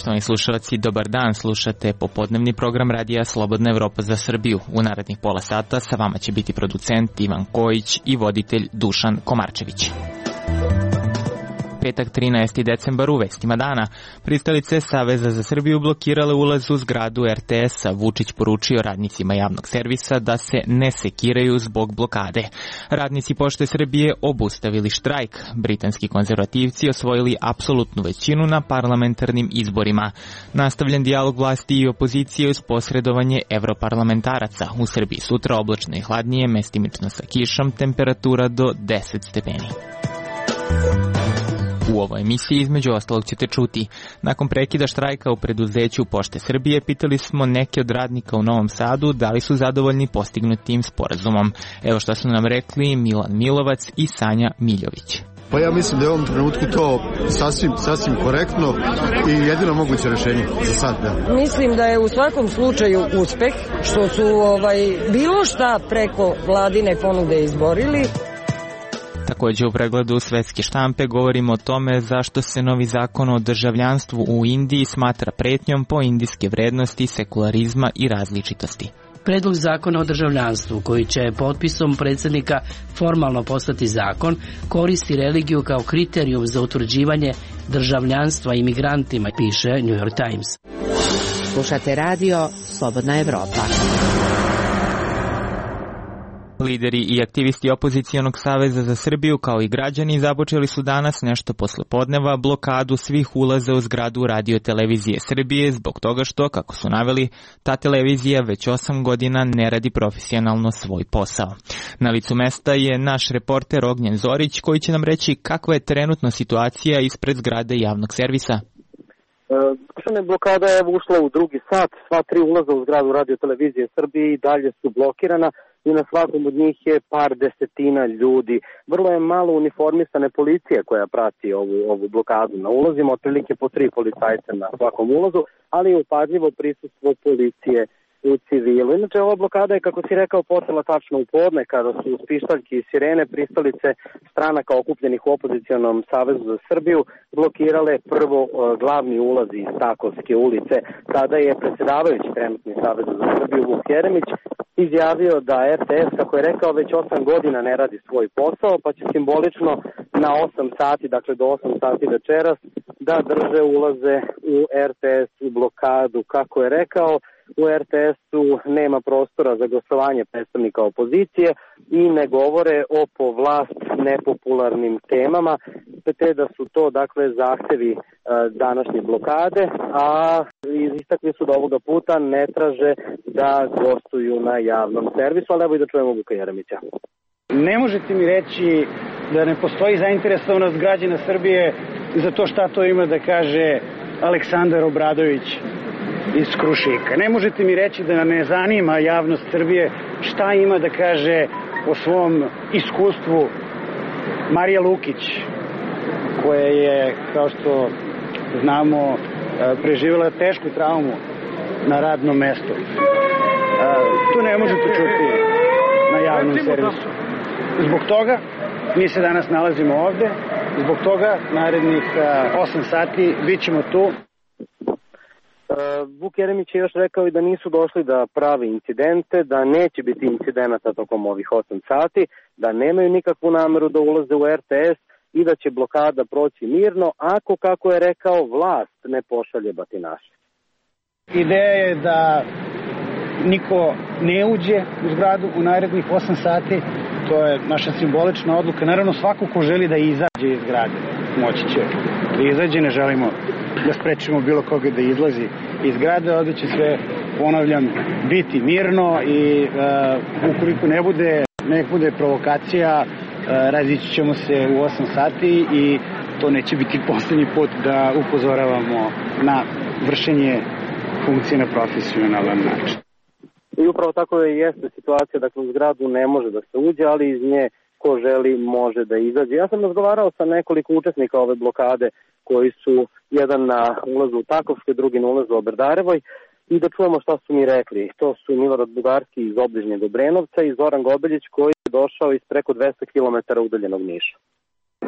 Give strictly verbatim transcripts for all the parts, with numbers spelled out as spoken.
Poštovani slušalci, dobar dan, slušate popodnevni program radija Slobodna Evropa za Srbiju. U narednih pola sata sa vama će biti producent Ivan Kojić i voditelj Dušan Komarčević. Petak trinaesti decembar u vestima dana. Pristalice Saveza za Srbiju blokirale ulaz u zgradu er te es-a. Vučić poručio radnicima javnog servisa da se ne sekiraju zbog blokade. Radnici Pošte Srbije obustavili štrajk. Britanski konzervativci osvojili apsolutnu većinu na parlamentarnim izborima. Nastavljen dijalog vlasti i opozicije uz posredovanje evroparlamentaraca. U Srbiji sutra oblačno i hladnije, mestimično sa kišom, temperatura do deset stepeni. U ovoj emisiji između ostalog ćete čuti. Nakon prekida štrajka u preduzeću Pošte Srbije pitali smo neke od radnika u Novom Sadu da li su zadovoljni postignutim sporazumom. Evo što su nam rekli Milan Milovac i Sanja Miljović. Pa ja mislim da je u ovom trenutku to sasvim, sasvim korektno i jedino moguće rešenje za sad. Da. Mislim da je u svakom slučaju uspeh što su ovaj, bilo šta preko vladine ponude izborili. Također u pregledu svetske štampe govorimo o tome zašto se novi zakon o državljanstvu u Indiji smatra pretnjom po indijske vrednosti, sekularizma i različitosti. Predlog zakona o državljanstvu, koji će potpisom predsjednika formalno postati zakon, koristi religiju kao kriterijum za utvrđivanje državljanstva imigrantima, piše New York Times. Slušate radio Slobodna Evropa. Lideri i aktivisti Opozicijonog saveza za Srbiju kao i građani započeli su danas nešto posle podneva blokadu svih ulaza u zgradu Radio Televizije Srbije zbog toga što, kako su naveli, ta televizija već osam godina ne radi profesionalno svoj posao. Na licu mesta je naš reporter Ognjen Zorić koji će nam reći kakva je trenutno situacija ispred zgrade javnog servisa. E, blokada je ušla u drugi sat, sva tri ulaza u zgradu Radio Televizije Srbije i dalje su blokirana. I na svakom od njih je par desetina ljudi. Vrlo je malo uniformisane policije koja prati ovu, ovu blokadu na ulazima, otprilike po tri policajca na svakom ulazu, ali je upadljivo prisustvo policije u civilu. Inače, ova blokada je, kako si rekao, počela tačno u podne, kada su uz pištaljke i sirene pristalice stranaka okupljenih u Opozicijonom savezu za Srbiju blokirale prvo glavni ulaz iz Takovske ulice. Tada je predsjedavajući trenutni Saveza za Srbiju Vuk Jeremić izjavio da er te es, kako je rekao, već osam godina ne radi svoj posao, pa će simbolično na osam sati, dakle do osam sati večeras, da drže ulaze u er te es u blokadu. Kako je rekao, u er te es-u nema prostora za glasovanje predstavnika opozicije i ne govore o po vlast nepopularnim temama, te da su to dakle zahtevi e, današnje blokade, a istakli su da ovoga puta ne traže da gostuju na javnom servisu, ali evo i da čujemo Vuka Jeremića. Ne možete mi reći da ne postoji zainteresovanost građana Srbije za to šta to ima da kaže Aleksandar Obradović iz Krušika. Ne možete mi reći da ne zanima javnost Srbije šta ima da kaže o svom iskustvu Marija Lukić, koja je, kao što znamo, preživjela tešku traumu na radnom mestu. To ne možete čuti na javnom servisu. Zbog toga mi se danas nalazimo ovde, zbog toga narednih osam sati bit ćemo tu. Vuk Jeremić je još rekao i da nisu došli da prave incidente, da neće biti incidenata tokom ovih osam sati, da nemaju nikakvu nameru da ulaze u er te es i da će blokada proći mirno ako, kako je rekao, vlast ne pošalje batinaše. Ideja je da niko ne uđe u zgradu u narednih osam sati, to je naša simbolična odluka. Naravno, svako ko želi da izađe iz zgrade, moći će da izađe, ne želimo da sprečimo bilo koga da izlazi iz zgrade, ovdje će sve, ponavljam, biti mirno i uh, ukoliko ne bude, ne bude provokacija, uh, razići ćemo se u osam sati i to neće biti poslednji put da upozoravamo na vršenje funkcije na profesionalan način. I upravo tako je jeste situacija, dakle u zgradu ne može da se uđe, ali iz nje ko želi može da izađe. Ja sam razgovarao sa nekoliko učesnika ove blokade koji su jedan na ulazu u Takovskoj, drugi na ulazu u Oberdarevoj i da čujemo šta su mi rekli. To su Milorad Bugarski iz obližnjeg Obrenovca i Zoran Gobeljić koji je došao iz preko dvesta kilometara udaljenog Niša.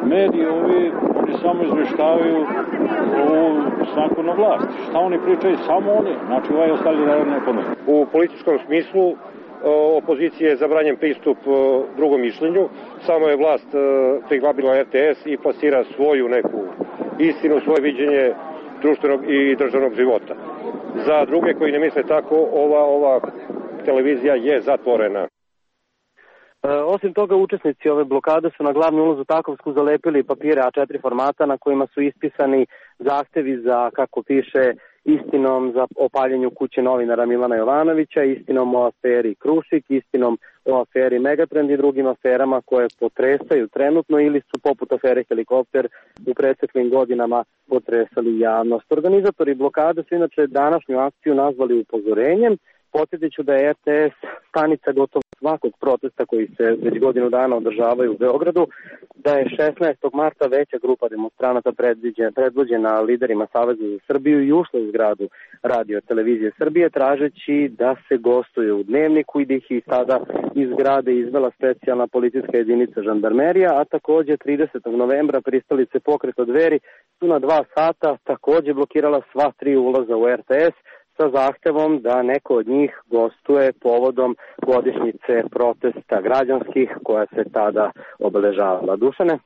Mediji ovi, oni samo izveštavaju o stanku na vlasti. Šta oni pričaju? Samo oni. Znači, ovaj ostali narod ne pomenu. U političkom smislu opozicije je zabranjen pristup drugom mišljenju. Samo je vlast priglabila er te es i plasira svoju neku istinu, svoje viđenje društvenog i državnog života. Za druge koji ne misle tako, ova, ova televizija je zatvorena. E, osim toga, učesnici ove blokade su na glavni ulaz u Takovsku zalepili papire a četiri formata na kojima su ispisani zahtevi za, kako piše, istinom za opaljenju kuće novinara Milana Jovanovića, istinom o aferi Krušik, istinom o aferi Megatrend i drugim aferama koje potresaju trenutno ili su poput afere Helikopter u preteklim godinama potresali javnost. Organizatori blokade su inače današnju akciju nazvali upozorenjem. Podsjetit ću da je er te es stanica gotovo svakog protesta koji se već godinu dana održavaju u Beogradu, da je šesnaestog marta veća grupa demonstranata predvođena liderima Saveza za Srbiju i ušla u zgradu Radio televizije Srbije tražeći da se gostuje u Dnevniku i da ih i sada iz zgrade izvela specijalna policijska jedinica žandarmerija, a takođe tridesetog novembra pristalice Pokreta Dveri su na dva sata takođe blokirala sva tri ulaza u er te es sa zahtevom da neko od njih gostuje povodom godišnjice protesta građanskih koja se tada obeležavala. Dušane?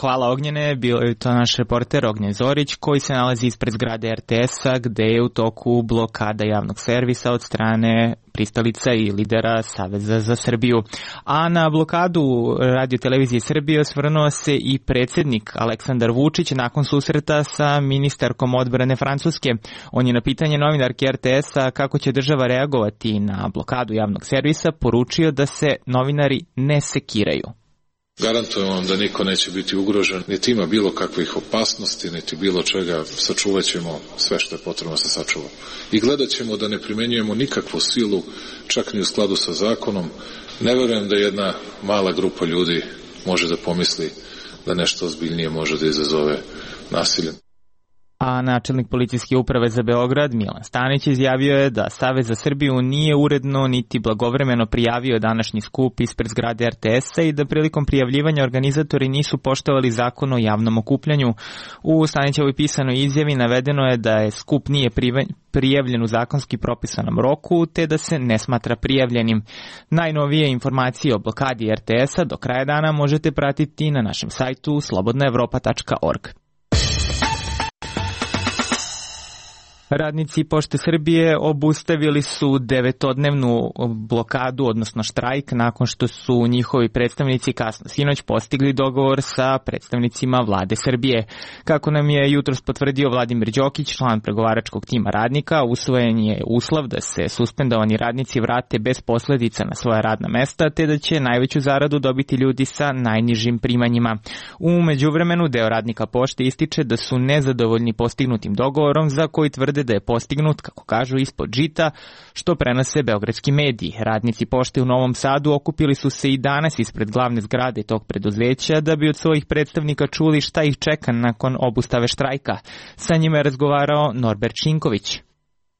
Hvala Ognjene, bio je to naš reporter Ognjen Zorić koji se nalazi ispred zgrade er te es-a gde je u toku blokada javnog servisa od strane pristalica i lidera Saveza za Srbiju. A na blokadu Radio televizije Srbije osvrnuo se i predsjednik Aleksandar Vučić nakon susreta sa ministarkom odbrane Francuske. On je na pitanje novinarke er te es-a kako će država reagovati na blokadu javnog servisa poručio da se novinari ne sekiraju. Garantujem vam da niko neće biti ugrožen, niti ima bilo kakvih opasnosti, niti bilo čega. Sačuvat ćemo sve što je potrebno se sačuva. I gledat ćemo da ne primenjujemo nikakvu silu, čak ni u skladu sa zakonom. Ne verujem da jedna mala grupa ljudi može da pomisli da nešto ozbiljnije može da izazove nasiljem. A načelnik policijske uprave za Beograd, Milan Stanić, izjavio je da Savez za Srbiju nije uredno niti blagovremeno prijavio današnji skup ispred zgrade er te es-a i da prilikom prijavljivanja organizatori nisu poštovali zakon o javnom okupljanju. U Stanićevoj pisanoj izjavi navedeno je da je skup nije prijavljen u zakonski propisanom roku, te da se ne smatra prijavljenim. Najnovije informacije o blokadi er te es-a do kraja dana možete pratiti na našem sajtu slobodna evropa tačka org. Radnici Pošte Srbije obustavili su devetodnevnu blokadu, odnosno štrajk, nakon što su njihovi predstavnici kasno sinoć postigli dogovor sa predstavnicima vlade Srbije. Kako nam je jutros potvrdio Vladimir Đokić, član pregovaračkog tima radnika, usvojen je uslov da se suspendovani radnici vrate bez posledica na svoja radna mesta, te da će najveću zaradu dobiti ljudi sa najnižim primanjima. U međuvremenu deo radnika Pošte ističe da su nezadovoljni postignutim dogovorom za koji tvrde da je postignut, kako kažu, ispod žita, što prenose beogradski mediji. Radnici Pošte u Novom Sadu okupili su se i danas ispred glavne zgrade tog preduzeća da bi od svojih predstavnika čuli šta ih čeka nakon obustave štrajka. Sa njima je razgovarao Norbert Šinković.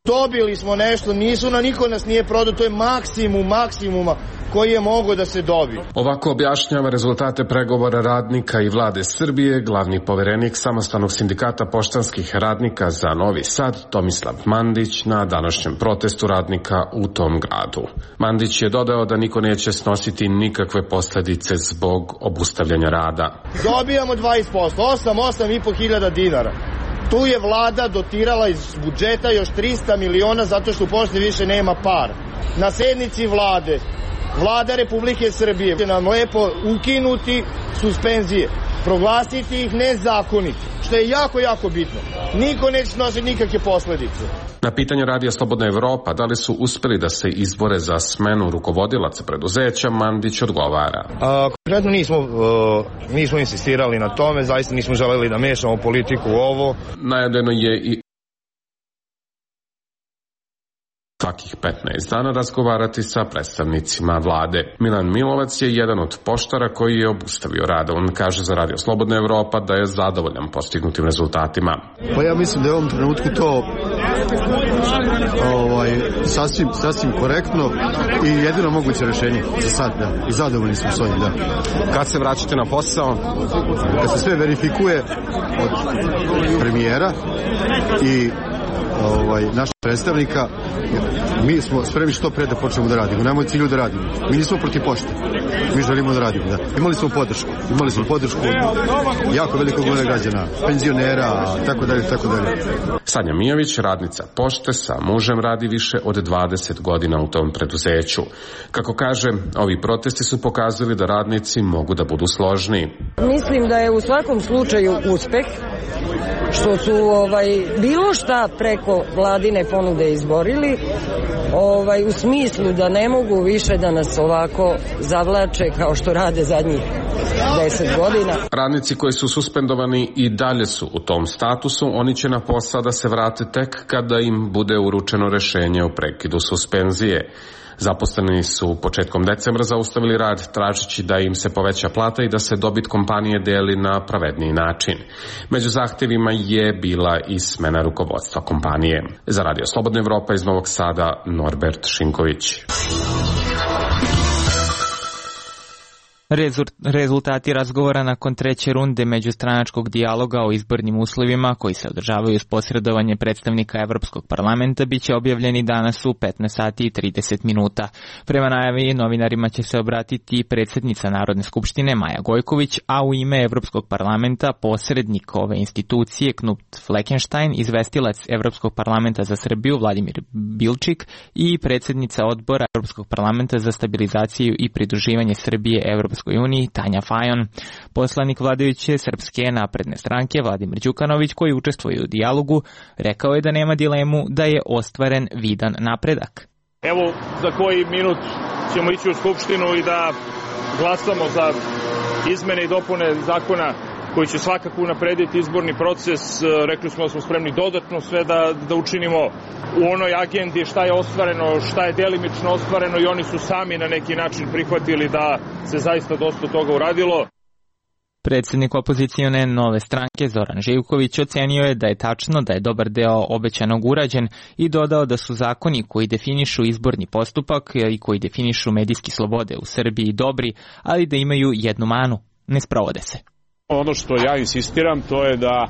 Dobili smo nešto, nisu na niko nas nije prodao, to je maksimum maksimuma koji je mogo da se dobije. Ovako objašnjava rezultate pregovora radnika i vlade Srbije glavni poverenik Samostalnog sindikata poštanskih radnika za Novi Sad, Tomislav Mandić, na današnjem protestu radnika u tom gradu. Mandić je dodao da niko neće snositi nikakve posledice zbog obustavljanja rada. Dobijamo dvadeset posto, osam, osam i po hiljada dinara. Tu je vlada dotirala iz budžeta još trista miliona zato što u Pošti više nema par. Na sednici vlade, vlada Republike Srbije će nam lepo ukinuti suspenzije, proglasiti ih nezakoniti, što je jako, jako bitno. Niko neće snositi nikakve posledice. Na pitanje Radija Slobodna Evropa da li su uspeli da se izbore za smenu rukovodilaca preduzeća, Mandić odgovara. A, konkretno nismo, uh, nismo insistirali na tome, zaista nismo želeli da mešamo politiku u ovo. Najavljeno je i svakih petnaest dana razgovarati sa predstavnicima vlade. Milan Milovac je jedan od poštara koji je obustavio rad. On kaže za Radio Slobodna Evropa da je zadovoljan postignutim rezultatima. Pa ja mislim da je u ovom trenutku to ovaj, sasvim, sasvim korektno i jedino moguće rešenje za sad, da. I zadovoljni smo s ovim, da. Kad se vraćate na posao? Kad se sve verifikuje od premijera i ovaj, naših predstavnika, mi smo spremni što pre da počnemo da radimo. Nemoj cilju da radimo. Mi nismo protiv pošte. Mi želimo da radimo, da. Imali smo podršku. Imali smo podršku jako velikog broja građana, penzionera, tako dalje, tako dalje. Sanja Mijović, radnica pošte, sa mužem radi više od dvadeset godina u tom preduzeću. Kako kaže, ovi protesti su pokazali da radnici mogu da budu složniji. Mislim da je u svakom slučaju uspeh što su ovaj, bilo šta preko vladine ponude izborili, ovaj, u smislu da ne mogu više da nas ovako zavlače kao što rade zadnjih deset godina. Radnici koji su suspendovani i dalje su u tom statusu, oni će na posao da se vrate tek kada im bude uručeno rešenje o prekidu suspenzije. Zaposleni su početkom decembra zaustavili rad tražeći da im se poveća plata i da se dobit kompanije deli na pravedniji način. Među zahtevima je bila i smena rukovodstva kompanije. Za Radio Slobodna Evropa iz Novog Sada, Norbert Šinković. Rezultati razgovora nakon treće runde međustranačkog dijaloga o izbornim uslovima koji se održavaju uz posredovanje predstavnika Evropskog parlamenta biće objavljeni danas u petnaest sati i trideset minuta. Prema najavi novinarima će se obratiti predsjednica Narodne skupštine Maja Gojković, a u ime Evropskog parlamenta posrednik ove institucije Knut Fleckenstein, izvestilac Evropskog parlamenta za Srbiju Vladimir Bilčik i predsjednica odbora Evropskog parlamenta za stabilizaciju i pridruživanje Srbije Evropskoj uniji Tanja Fajon. Poslanik vladajuće Srpske napredne stranke Vladimir Đukanović, koji učestvuje u dijalogu, rekao je da nema dilemu da je ostvaren vidan napredak. Evo, za koji minut ćemo ići u Skupštinu i da glasamo za izmene i dopune zakona koji će svakako unaprediti izborni proces. Rekli smo da smo spremni dodatno sve da, da učinimo u onoj agendi šta je ostvareno, šta je delimično ostvareno i oni su sami na neki način prihvatili da se zaista dosta toga uradilo. Predsjednik opozicione Nove stranke Zoran Živković ocenio je da je tačno da je dobar deo obećanog urađen i dodao da su zakoni koji definišu izborni postupak i koji definišu medijske slobode u Srbiji dobri, ali da imaju jednu manu, ne sprovode se. Ono što ja insistiram to je da,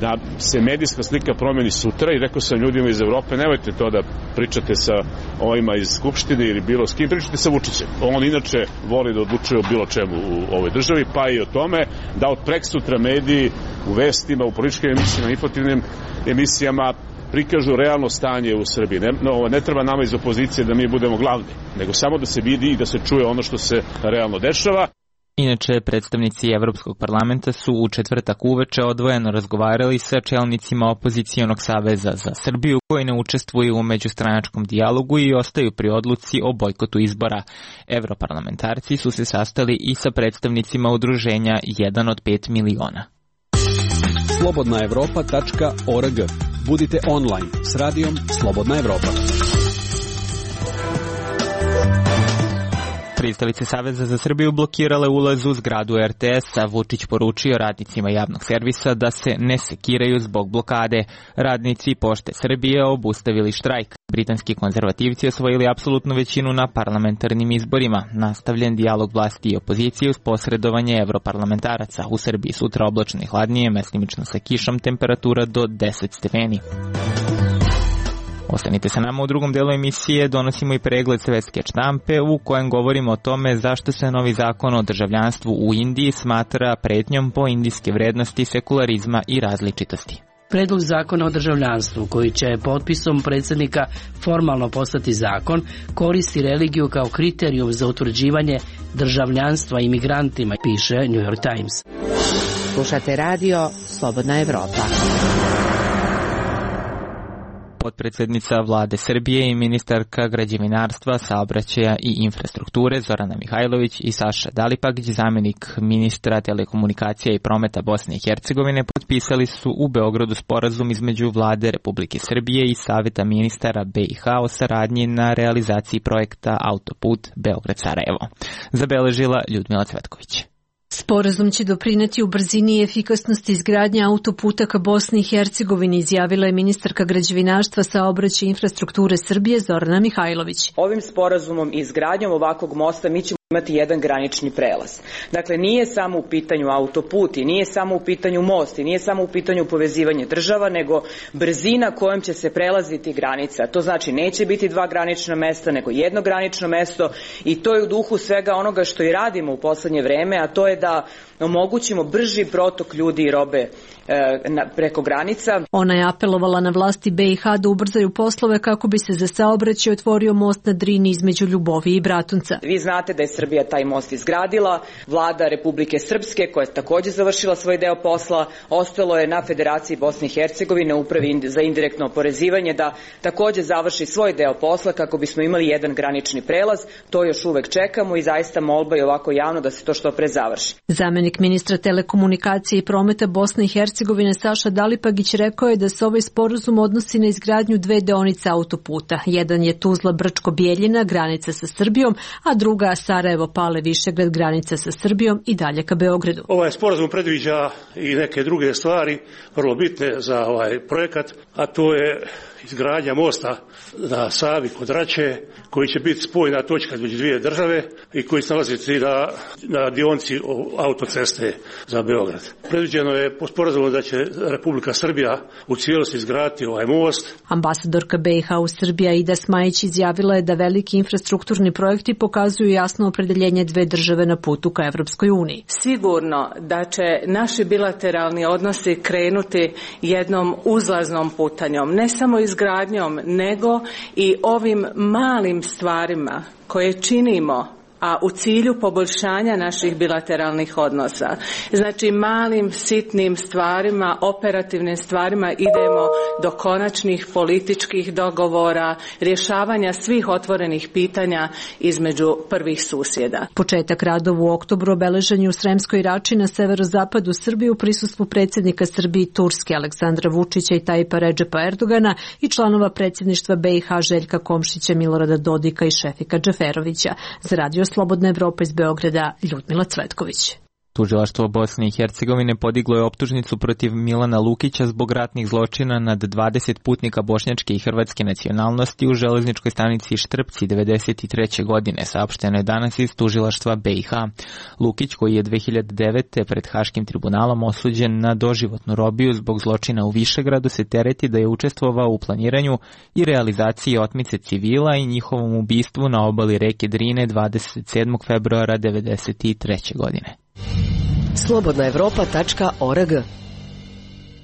da se medijska slika promeni sutra i rekao sam ljudima iz Evrope, nemojte to da pričate sa ovima iz Skupštine ili bilo s kim, pričate sa Vučićem. On inače voli da odlučuje o bilo čemu u ovoj državi, pa i o tome da od preksutra mediji u vestima, u političkim emisijama, informativnim emisijama prikažu realno stanje u Srbiji. Ne, no, ne treba nama iz opozicije da mi budemo glavni, nego samo da se vidi i da se čuje ono što se realno dešava. Inače, predstavnici Evropskog parlamenta su u četvrtak uveče odvojeno razgovarali sa čelnicima opozicijonog saveza za Srbiju koji ne učestvuju u međustranačkom dijalogu i ostaju pri odluci o bojkotu izbora. Evroparlamentarci su se sastali i sa predstavnicima udruženja jedan od pet miliona. slobodna evropa tačka org. Budite online s radijom Slobodna Evropa. Pristalice Saveza za Srbiju blokirale ulaz u zgradu er te es, a Vučić poručio radnicima javnog servisa da se ne sekiraju zbog blokade. Radnici Pošte Srbije obustavili štrajk. Britanski konzervativci osvojili apsolutnu većinu na parlamentarnim izborima. Nastavljen dijalog vlasti i opozicije uz posredovanje evroparlamentaraca. U Srbiji sutra oblačno i hladnije, mestimično sa kišom, temperatura do deset stepeni. Ostanite sa nama u drugom delu emisije, donosimo i pregled svetske štampe u kojem govorimo o tome zašto se novi zakon o državljanstvu u Indiji smatra pretnjom po indijske vrednosti sekularizma i različitosti. Predlog zakona o državljanstvu, koji će potpisom predsjednika formalno postati zakon, koristi religiju kao kriterijum za utvrđivanje državljanstva imigrantima, piše New York Times. Slušate radio Slobodna Evropa. Potpredsjednica vlade Srbije i ministarka građevinarstva, saobraćaja i infrastrukture Zorana Mihajlović i Saša Dalipagić, zamjenik ministra telekomunikacija i prometa Bosne i Hercegovine, potpisali su u Beogradu sporazum između vlade Republike Srbije i Saveta ministara be i ha o saradnji na realizaciji projekta Autoput Beograd-Sarajevo. Zabeležila Ljudmila Cvetković. Sporazum će doprineti u brzini i efikasnosti izgradnje autoputa ka Bosni i Hercegovini, izjavila je ministarka građevinarstva, saobraćaja i infrastrukture Srbije Zorana Mihajlović. Ovim sporazumom i izgradnjom ovakvog mosta mi ćemo imati jedan granični prelaz. Dakle, nije samo u pitanju autoput i nije samo u pitanju most i nije samo u pitanju povezivanje država, nego brzina kojom će se prelaziti granica. To znači neće biti dva granična mesta, nego jedno granično mesto i to je u duhu svega onoga što i radimo u poslednje vreme, a to je da omogućimo brži protok ljudi i robe e, na, preko granica. Ona je apelovala na vlasti B i H da ubrzaju poslove kako bi se za saobraćaj otvorio most na Drini između Ljubovi i Bratunca. Vi znate da je Srbija taj most izgradila, vlada Republike Srpske koja je takođe završila svoj deo posla, ostalo je na Federaciji Bosne i Hercegovine, upravi za indirektno oporezivanje, da takođe završi svoj deo posla kako bismo imali jedan granični prelaz. To još uvek čekamo i zaista molba je ovako javno da se to što pre završi. Zamenik ministra telekomunikacije i prometa Bosne i Hercegovine Saša Dalipagić rekao je da se ovaj sporazum odnosi na izgradnju dve deonice autoputa. Jedan je Tuzla-Brčko-Bjeljina, granica sa Srbijom, a druga Sarajevo-Pale-Višegrad, granica sa Srbijom i dalje ka Beogradu. Ovaj sporazum predviđa i neke druge stvari vrlo bitne za ovaj projekat, a to je izgradnja mosta na Savi kod Rače, koji će biti spojna točka između dvije države i koji se nalazi na, na dionci autoceste za Beograd. Predviđeno je po sporazumu da će Republika Srbija u cijelosti izgraditi ovaj most. Ambasadorka B i H u Srbiji Aida Smajić izjavila je da veliki infrastrukturni projekti pokazuju jasno opredeljenje dve države na putu ka Evropskoj uniji. Sigurno da će naši bilateralni odnosi krenuti jednom uzlaznom putanjom, ne samo izgradnjom, nego i ovim malim stvarima koje činimo, a u cilju poboljšanja naših bilateralnih odnosa. Znači, malim, sitnim stvarima, operativnim stvarima idemo do konačnih političkih dogovora, rješavanja svih otvorenih pitanja između prvih susjeda. Početak radova u oktobru obeležen je u Sremskoj Rači na severozapadu Srbije u prisustvu predsjednika Srbije i Turske Aleksandra Vučića i Tajipa Redžepa Erdogana i članova predsjedništva B i H Željka Komšića, Milorada Dodika i Šefika Džeferovića. Za Radio Slobodna Evropa iz Beograda, Ljudmila Cvetković. Tužilaštvo Bosne i Hercegovine podiglo je optužnicu protiv Milana Lukića zbog ratnih zločina nad dvadeset putnika bošnjačke i hrvatske nacionalnosti u železničkoj stanici Štrpci devedeset treće godine, saopšteno je danas iz tužilaštva B i H. Lukić, koji je dve hiljade devete. pred Haškim tribunalom osuđen na doživotnu robiju zbog zločina u Višegradu, se tereti da je učestvovao u planiranju i realizaciji otmice civila i njihovom ubistvu na obali reke Drine dvadeset sedmog februara devedeset treće godine. slobodna evropa tačka org.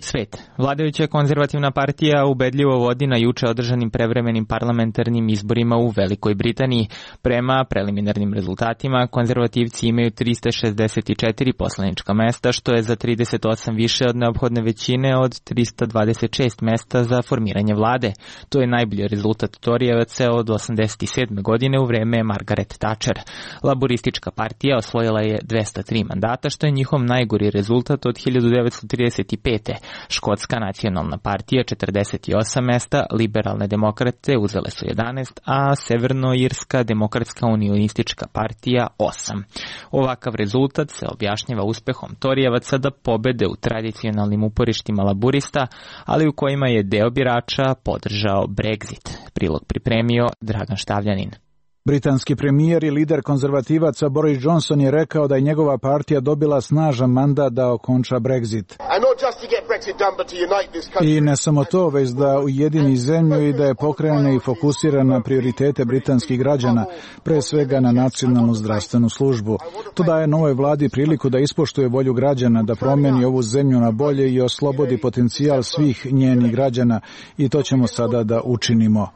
Svet. Vladajuća konzervativna partija ubedljivo vodi na juče održanim prevremenim parlamentarnim izborima u Velikoj Britaniji. Prema preliminarnim rezultatima, konzervativci imaju trista šezdeset četiri poslanička mesta, što je za trideset osam više od neophodne većine od trista dvadeset šest mesta za formiranje vlade. To je najbolji rezultat Torijevaca od osamdeset sedme. godine u vreme Margaret Thatcher. Laboristička partija osvojila je dvesta tri mandata, što je njihov najgori rezultat od hiljadu devetsto trideset pete. Škotska nacionalna partija četrdeset osam mesta, liberalne demokrate uzele su jedanaest, a Severnoirska demokratska unionistička partija osam. Ovakav rezultat se objašnjava uspehom Torijevaca da pobede u tradicionalnim uporištima laburista, ali u kojima je deo birača podržao Brexit. Prilog pripremio Dragan Štavljanin. Britanski premijer i lider konzervativaca Boris Johnson je rekao da je njegova partija dobila snažan mandat da okonča Brexit. I ne samo to, već da ujedini zemlju i da je pokrene i fokusira na prioritete britanskih građana, pre svega na nacionalnu zdravstvenu službu. To daje novoj vladi priliku da ispoštuje volju građana, da promijeni ovu zemlju na bolje i oslobodi potencijal svih njenih građana, i to ćemo sada da učinimo.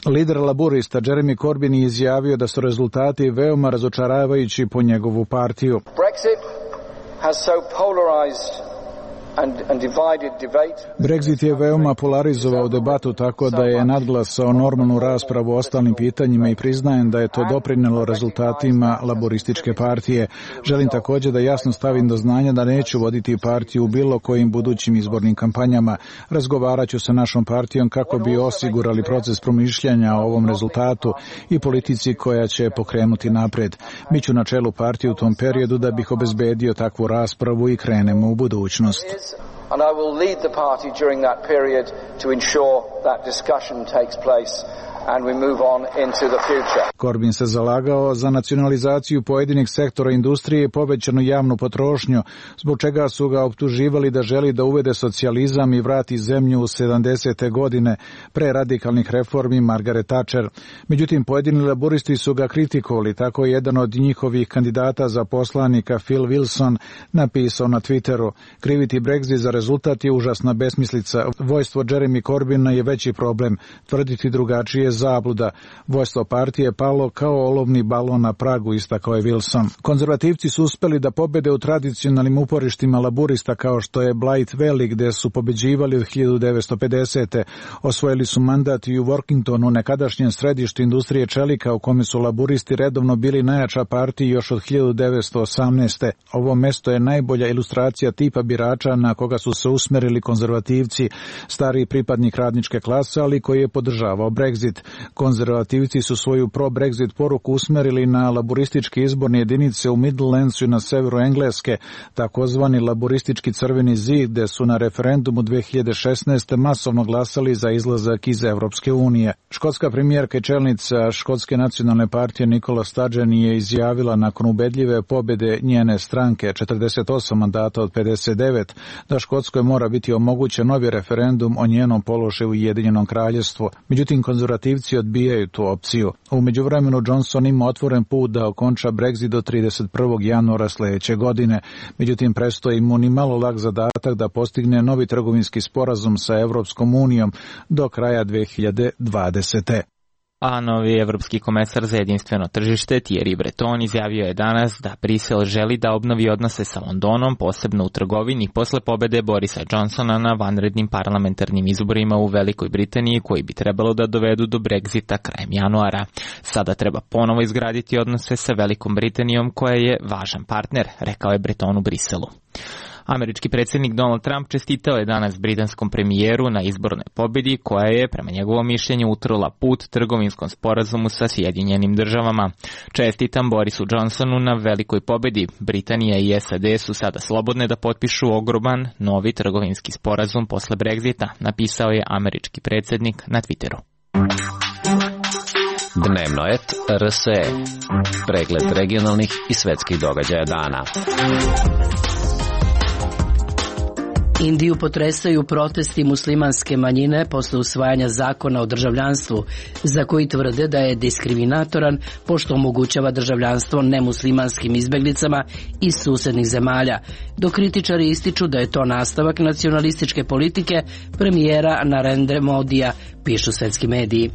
Lider laburista Jeremy Corbyn je izjavio da su rezultati veoma razočaravajući po njegovu partiju. Brexit je veoma polarizovao debatu tako da je nadglasao normalnu raspravu o ostalim pitanjima i priznajem da je to doprinelo rezultatima laborističke partije. Želim također da jasno stavim do znanja da neću voditi partiju u bilo kojim budućim izbornim kampanjama. Razgovarat ću sa našom partijom kako bi osigurali proces promišljanja o ovom rezultatu i politici koja će pokrenuti napred. Biću na čelu partije u tom periodu da bih obezbedio takvu raspravu i krenemo u budućnost. And I will lead the party during that period to ensure that discussion takes place and we move on into the future. Corbyn se zalagao za nacionalizaciju pojedinih sektora industrije i povećanu javnu potrošnju, zbog čega su ga optuživali da želi da uvede socijalizam i vrati zemlju u sedamdesete godine pre radikalnih reformi Margaret Thatcher. Međutim, pojedini laburisti su ga kritikovali, tako je jedan od njihovih kandidata za poslanika Phil Wilson napisao na Twitteru: kriviti Brexit za rezultat je užasna besmislica. Vojstvo Jeremy Corbyna je veći problem. Tvrditi drugačije zabluda. Vojstvo partije je palo kao olovni balon na pragu, istakao je Wilson. Konzervativci su uspeli da pobede u tradicionalnim uporištima laburista kao što je Blythe Valley, gde su pobeđivali od hiljadu devetsto pedesete. Osvojili su mandat i u Workingtonu, nekadašnjem središtu industrije čelika, u kome su laburisti redovno bili najjača partija još od hiljadu devetsto osamnaeste. Ovo mesto je najbolja ilustracija tipa birača na koga su se usmerili konzervativci, stariji pripadnik radničke klase, ali koji je podržavao Brexit. Konzervativci su svoju pro-Brexit poruku usmerili na laburističke izborne jedinice u Midlandsu i na severu Engleske, takozvani laburistički crveni zid, gde su na referendumu dve hiljade šesnaeste. masovno glasali za izlazak iz Evropske unije. Škotska premijerka i čelnica Škotske nacionalne partije Nicola Sturgeon je izjavila nakon ubedljive pobjede njene stranke, četrdeset osam mandata od pedeset devet, da Škotskoj mora biti omogućen novi referendum o njenom položaju u Ujedinjenom kraljevstvu. Međutim, konzervativci odbijaju tu opciju. U međuvremenu Johnson ima otvoren put da okonča Brexit do trideset prvog januara sljedeće godine. Međutim, prestoji mu ni malo lak zadatak da postigne novi trgovinski sporazum sa Evropskom unijom do kraja dve hiljade dvadesete. A novi evropski komesar za jedinstveno tržište Thierry Breton izjavio je danas da Brisel želi da obnovi odnose sa Londonom, posebno u trgovini, posle pobede Borisa Johnsona na vanrednim parlamentarnim izborima u Velikoj Britaniji, koji bi trebalo da dovedu do Brexita krajem januara. Sada treba ponovo izgraditi odnose sa Velikom Britanijom, koja je važan partner, rekao je Breton u Briselu. Američki predsjednik Donald Trump čestitao je danas britanskom premijeru na izbornoj pobjedi, koja je, prema njegovom mišljenju, utrla put trgovinskom sporazumu sa Sjedinjenim državama. Čestitam Borisu Johnsonu na velikoj pobjedi. Britanija i S A D su sada slobodne da potpišu ogroman novi trgovinski sporazum posle Brexita, napisao je američki predsjednik na Twitteru. Dnevno et R S E. Pregled regionalnih i svetskih događaja dana. Indiju potresaju protesti muslimanske manjine posle usvajanja zakona o državljanstvu, za koji tvrde da je diskriminatoran pošto omogućava državljanstvo nemuslimanskim izbeglicama iz susednih zemalja, dok kritičari ističu da je to nastavak nacionalističke politike premijera Narendra Modija, pišu svetski mediji.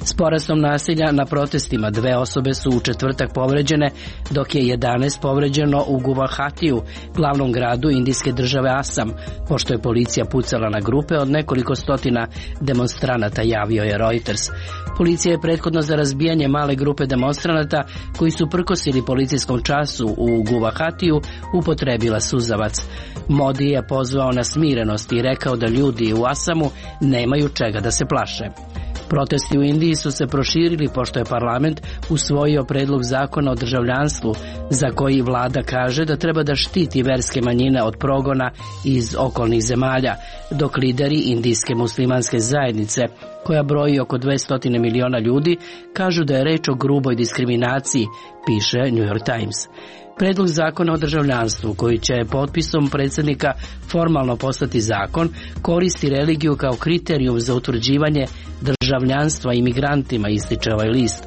S porastom nasilja na protestima dve osobe su u četvrtak povređene, dok je jedanaest povređeno u Guvahatiju, glavnom gradu indijske države Asam, pošto je policija pucala na grupe od nekoliko stotina demonstranata, javio je Reuters. Policija je prethodno za razbijanje male grupe demonstranata koji su prkosili policijskom času u Guvahatiju upotrebila suzavac. Modi je pozvao na smirenost i rekao da ljudi u Asamu nemaju čega da se plaše. Protesti u Indiji su se proširili pošto je parlament usvojio predlog zakona o državljanstvu, za koji vlada kaže da treba da štiti verske manjine od progona iz okolnih zemalja, dok lideri indijske muslimanske zajednice, koja broji oko dvesta miliona ljudi, kažu da je reč o gruboj diskriminaciji, piše New York Times. Predlog zakona o državljanstvu, koji će potpisom predsjednika formalno postati zakon, koristi religiju kao kriterijum za utvrđivanje državljanstva imigrantima, ističe ovaj list.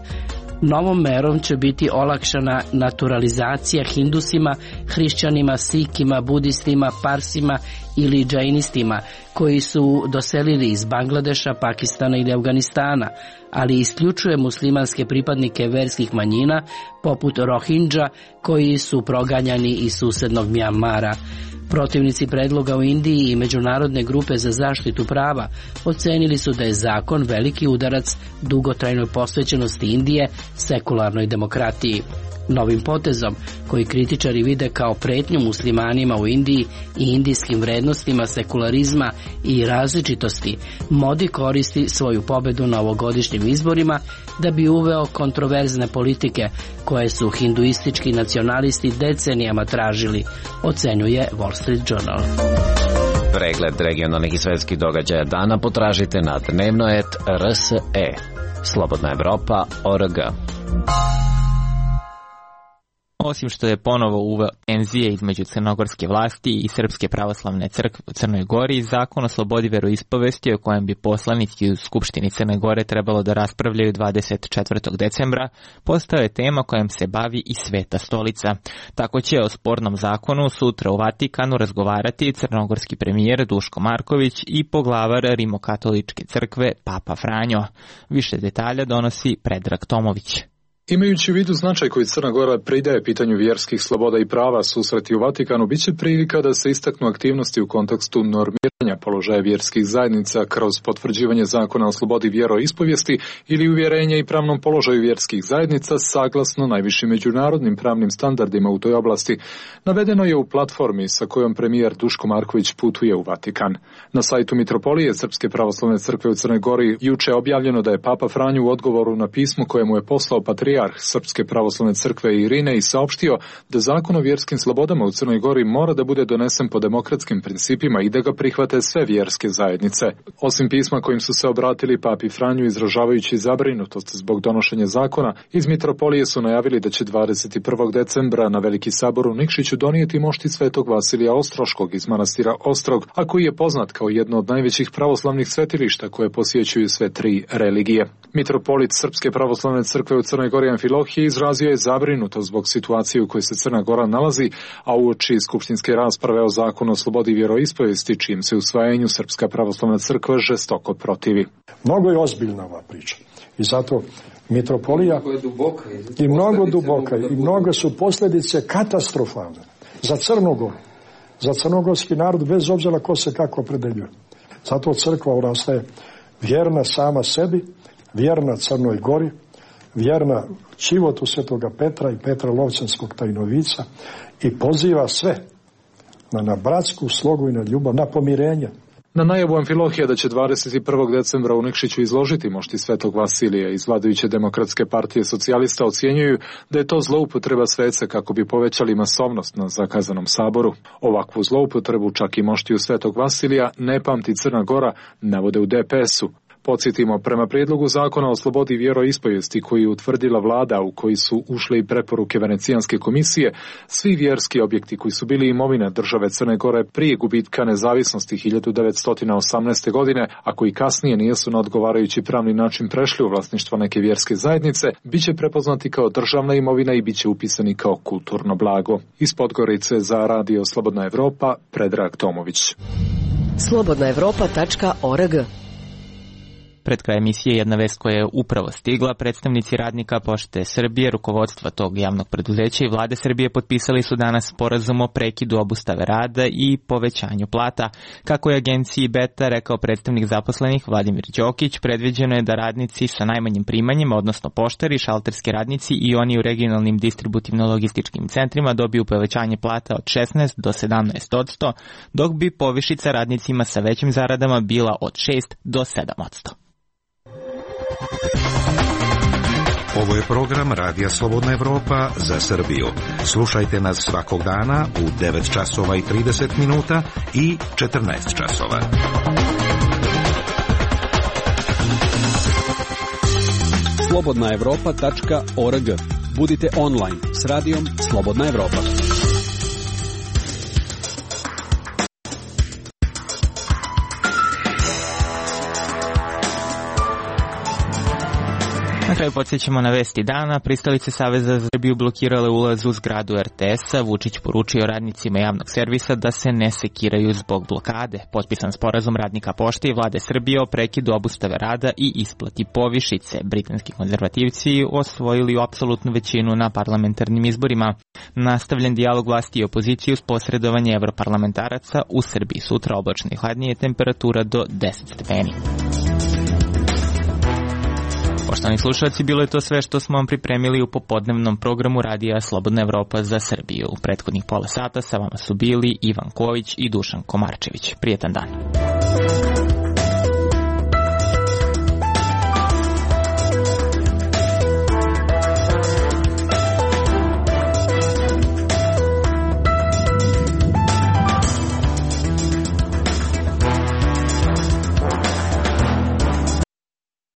Novom merom će biti olakšana naturalizacija hindusima, hrišćanima, sikima, budistima, parsima ili džainistima koji su doselili iz Bangladeša, Pakistana ili Afganistana, ali isključuje muslimanske pripadnike verskih manjina poput Rohingya koji su proganjani iz susednog Mjanmara. Protivnici predloga u Indiji i Međunarodne grupe za zaštitu prava ocenili su da je zakon veliki udarac dugotrajnoj posvećenosti Indije sekularnoj demokratiji. Novim potezom, koji kritičari vide kao pretnju muslimanima u Indiji i indijskim vrednostima sekularizma i različitosti, Modi koristi svoju pobedu na ovogodišnjim izborima da bi uveo kontroverzne politike koje su hinduistički nacionalisti decenijama tražili, ocenjuje Wall Street Journal. Pregled regionalnih i svetskih događaja dana potražite na dnevno et er es e. Slobodna Evropa tačka org. Osim što je ponovo uveo tenzije između crnogorske vlasti i Srpske pravoslavne crkve u Crnoj Gori, zakon o slobodi veroispovesti o kojem bi poslanici u Skupštini Crne Gore trebalo da raspravljaju dvadeset četvrtog decembra, postao je tema kojom se bavi i Sveta stolica. Tako će o spornom zakonu sutra u Vatikanu razgovarati crnogorski premijer Duško Marković i poglavar Rimokatoličke crkve Papa Franjo. Više detalja donosi Predrag Tomović. Imajući u vidu značaj koji Crna Gora pridaje pitanju vjerskih sloboda i prava, susreti u Vatikanu biće prilika da se istaknu aktivnosti u kontekstu normiranja položaja vjerskih zajednica kroz potvrđivanje zakona o slobodi vjeroispovijesti ili uvjerenja i pravnom položaju vjerskih zajednica saglasno najvišim međunarodnim pravnim standardima u toj oblasti. Navedeno je u platformi sa kojom premijer Duško Marković putuje u Vatikan. Na sajtu Mitropolije Srpske pravoslavne crkve u Crnoj Gori juče objavljeno da je Papa Franjo u odgovoru na pismo koje mu je poslao patrijarh Srpske pravoslavne crkve Irine i saopštio da zakon o vjerskim slobodama u Crnoj Gori mora da bude donesen po demokratskim principima i da ga prihvate sve vjerske zajednice. Osim pisma kojim su se obratili Papi Franju izražavajući zabrinutost zbog donošenja zakona, iz Mitropolije su najavili da će dvadeset prvog decembra na Veliki sabor u Nikšiću donijeti mošti Svetog Vasilija Ostroškog iz manastira Ostrog, a koji je poznat kao jedno od najvećih pravoslavnih svetilišta koje posjećuju sve tri religije. Mitropolit Srpske pravoslavne crkve u Crnoj Gori Amfilohije izrazio je zabrinutost zbog situacije u kojoj se Crna Gora nalazi, a uoči skupštinske rasprave o zakonu o slobodi vjeroispovijesti, čijem se usvajanju Srpska pravoslavna crkva žestoko protivi. Mnogo je ozbiljna ova priča i zato mitropolija i mnogo duboka i mnogo su posljedice katastrofalne za Crnu Goru, za crnogorski narod, bez obzira ko se kako opredeljuje. Zato crkva ostaje vjerna sama sebi, vjerna Crnoj Gori, vjerna životu Svetoga Petra i Petra Lovćanskog tajnovica i poziva sve na, na bratsku slogu i na ljubav, na pomirenje. Na najavu Amfilohija da će dvadeset prvog decembra u Nikšiću izložiti mošti Svetog Vasilija iz vladajuće Demokratske partije socijalista ocjenjuju da je to zloupotreba svece kako bi povećali masovnost na zakazanom saboru. Ovakvu zloupotrebu čak i moštiju Svetog Vasilija ne pamti Crna Gora, navode u de pe esu. Podsjetimo, prema prijedlogu zakona o slobodi vjeroispovijesti koji je utvrdila vlada u koji su ušle i preporuke Venecijanske komisije, svi vjerski objekti koji su bili imovina države Crne Gore prije gubitka nezavisnosti hiljadu devetsto osamnaeste. godine, a koji kasnije nisu na odgovarajući pravni način prešli u vlasništvo neke vjerske zajednice, bit će prepoznati kao državna imovina i bit će upisani kao kulturno blago. Iz Podgorice za Radio Slobodna Evropa, Predrag Tomović. slobodna evropa tačka org. Pred kraj emisije jedna vest koja je upravo stigla. Predstavnici radnika Pošte Srbije, rukovodstva tog javnog preduzeća i vlade Srbije potpisali su danas sporazum o prekidu obustave rada i povećanju plata. Kako je agenciji Beta rekao predstavnik zaposlenih Vladimir Đokić, predviđeno je da radnici sa najmanjim primanjima, odnosno poštari, šalterski radnici i oni u regionalnim distributivno-logističkim centrima dobiju povećanje plata od šesnaest do sedamnaest odsto, dok bi povišica radnicima sa većim zaradama bila od šest do sedam odsto. Ovo je program Radija Slobodna Evropa za Srbiju. Slušajte nas svakog dana u devet časova i trideset minuta i četrnaest časova. slobodna evropa tačka org. Budite online s radijom Slobodna Evropa. Na kraju podsjećamo na vesti dana. Pristalice Saveza za Srbiju blokirale ulaz u zgradu er te es-a. Vučić poručio radnicima javnog servisa da se ne sekiraju zbog blokade. Potpisan sporazum radnika pošte i vlade Srbije o prekidu obustave rada i isplati povišice. Britanski konzervativci osvojili apsolutnu većinu na parlamentarnim izborima. Nastavljen dijalog vlasti i opozicije uz posredovanje evroparlamentaraca u Srbiji. Sutra oblačno i hladnije, temperatura do deset stepeni. Poštovani slušalci, bilo je to sve što smo vam pripremili u popodnevnom programu Radija Slobodna Evropa za Srbiju. U prethodnih pola sata sa vama su bili Ivan Ković i Dušan Komarčević. Prijetan dan.